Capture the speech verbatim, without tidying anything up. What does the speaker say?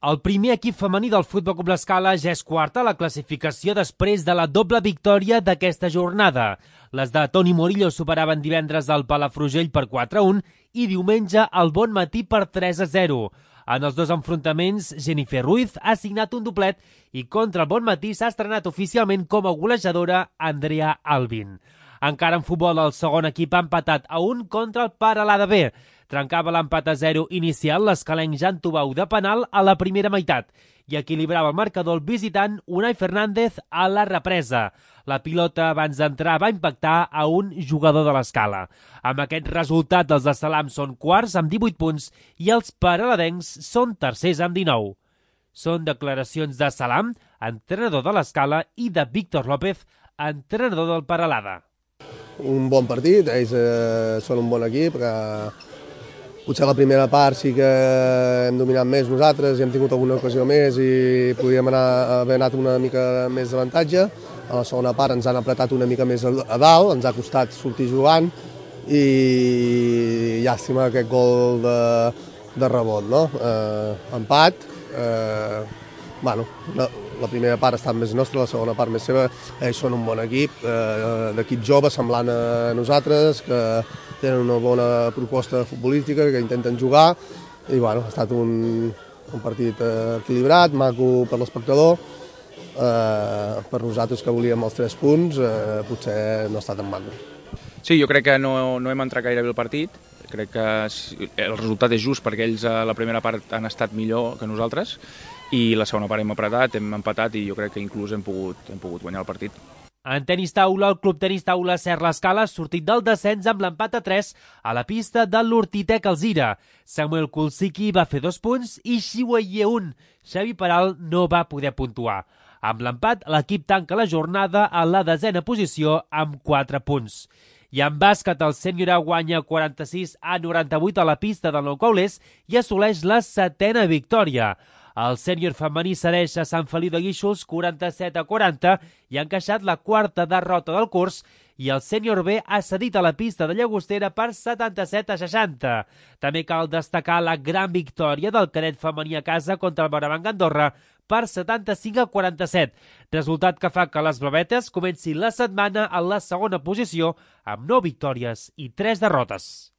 El primer equip femení del Futbol Club L'Escala ja és quarta a la classificació després de la doble victòria d'aquesta jornada. Les de Toni Morillo superaven divendres al Palafrugell per quatre a un i diumenge al Bonmatí per tres a zero. En els dos enfrontaments, Jennifer Ruiz ha signat un doblet i contra el Bonmatí s'ha estrenat oficialment com a golejadora Andrea Albin. Encara en futbol, el segon equip ha empatat a un contra el Peralada B. Trencava l'empat a zero inicial l'escalenc Jan Tubau de penal a la primera meitat i equilibrava el marcador el visitant Unai Fernández a la represa. La pilota abans d'entrar va impactar a un jugador de l'Escala. Amb aquest resultat, els de Salam són quarts amb divuit punts i els peraladencs són tercers amb dinou. Són declaracions de Salam, entrenador de l'Escala, i de Víctor López, entrenador del Peralada. Un bon partit, ells eh, són un bon equip, que potser la primera part sí que hem dominat més nosaltres i hem tingut alguna ocasió més i podíem anar, haver anat una mica més d'avantatge. A la segona part ens han apretat una mica més a dalt, ens ha costat sortir jugant i llàstima aquest gol de, de rebot, no? Eh, empat, eh, bueno, la, la primera part ha estat més nostra, la segona part més seva. Ells són un bon equip, eh, d'equip jove semblant a nosaltres, que tenen una bona proposta futbolística, que intenten jugar i bueno, ha estat un, un partit equilibrat, maco per l'espectador. Eh, per nosaltres que volíem els tres punts, eh, potser no ha estat en banda. Sí, jo crec que no, no hem entrat gaire bé el partit, crec que el resultat és just perquè ells a la primera part han estat millor que nosaltres i la segona part hem apretat, hem empatat i jo crec que inclús hem pogut, hem pogut guanyar el partit. En tenis taula, el Club Tenis Taula Ser l'Escala ha sortit del descens amb l'empat a tres a la pista de l'Hortitec Alzira. Samuel Kulsiki va fer dos punts i Xiueye un. Xavi Peral no va poder puntuar. Amb l'empat, l'equip tanca la jornada a la desena posició amb quatre punts. I en bàsquet, el sènior guanya quaranta-sis a noranta-vuit a la pista del Nou Caulers i assoleix la setena victòria. El sènior femení cedeix a Sant Feliu de Guíxols quaranta-set a quaranta i ha encaixat la quarta derrota del curs i el sènior B ha cedit a la pista de Llagostera per setanta-set a seixanta. També cal destacar la gran victòria del cadet femení a casa contra el Morabanc Andorra per setanta-cinc a quaranta-set, resultat que fa que les blavetes comencin la setmana en la segona posició amb nou victòries i tres derrotes.